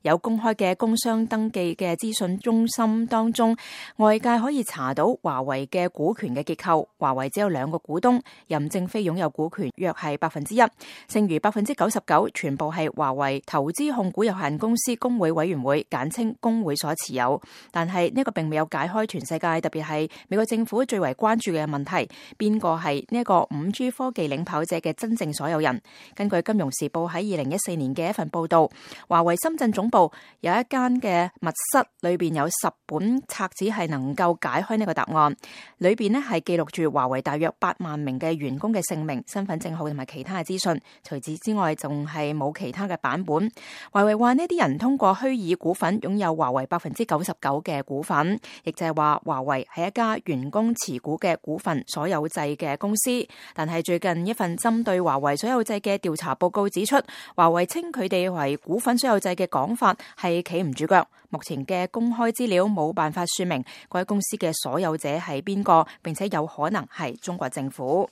有公開嘅工商登記嘅資訊中心當中，外界可以查到華為嘅股權嘅結構。華為只有2個股東，任正非擁有股權約係1%，剩餘99%全部係華為投資控股有限公司公會委員會簡稱公會所持有。但係呢個並未有解開全世界，特別係美國政府最為關注嘅問題，邊個係呢一個 5G 科技領跑者嘅真正所有人？根據《金融時報》喺2014年嘅一份報道，華為深圳總部有一間嘅密室，裏邊有10本冊子係能夠解開呢個答案，裏邊呢係記錄住華為大約8萬名嘅員工嘅姓名、身份證號同埋其他嘅資訊。除此之外，仲係冇其他嘅版本。華為話呢啲人通過虛擬股份擁有華為99%嘅股份，亦就係話華為係一家員工持股嘅股份所有制嘅公司。但係最近一份針對華為所有制嘅調查報告指出，華為稱佢哋為股份所有制嘅講法係企唔住腳。目前嘅公開資料冇辦法說明該公司嘅所有者係邊個，並且有可能係中國政府。